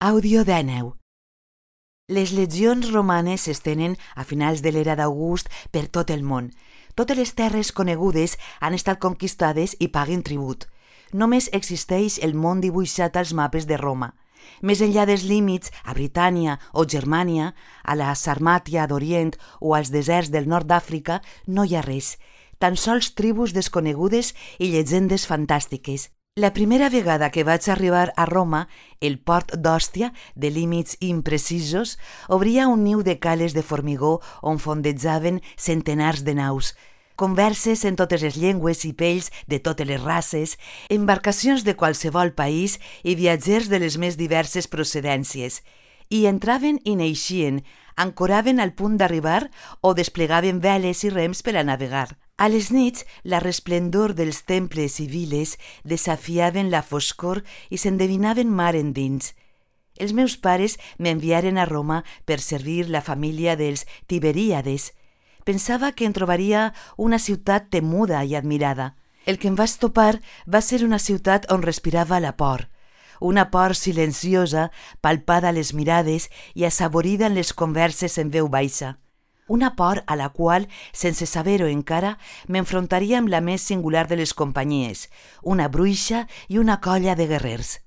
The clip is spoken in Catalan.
Àudio 19. Les legions romanes s'estenen a finals de l'era d'August per tot el món. Totes les terres conegudes han estat conquistades i paguen tribut. Només existeix el món dibuixat als mapes de Roma. Més enllà dels límits, a Britània o Germània, a la Sarmàtia d'Orient o als deserts del nord d'Àfrica, no hi ha res. Tan sols tribus desconegudes i llegendes fantàstiques. La primera vegada que vaig arribar a Roma, el port d'Òstia, de límits imprecisos, obria un niu de cales de formigó on fondetjaven centenars de naus, converses en totes les llengües i pells de totes les races, embarcacions de qualsevol país i viatgers de les més diverses procedències. Hi entraven i n'eixien, ancoraven al punt d'arribar o desplegaven veles i rems per a navegar. A les nits, la resplendor dels temples i viles desafiaven la foscor i s'endevinaven mar endins. Els meus pares m'enviaren a Roma per servir la família dels Tiberíades. Pensava que en trobaria una ciutat temuda i admirada. El que em vaig topar va ser una ciutat on respirava la por. Una por silenciosa, palpada a les mirades i assaborida en les converses en veu baixa. Una por a la qual, sense saber-ho encara, m'enfrontaria amb la més singular de les companyies, una bruixa i una colla de guerrers.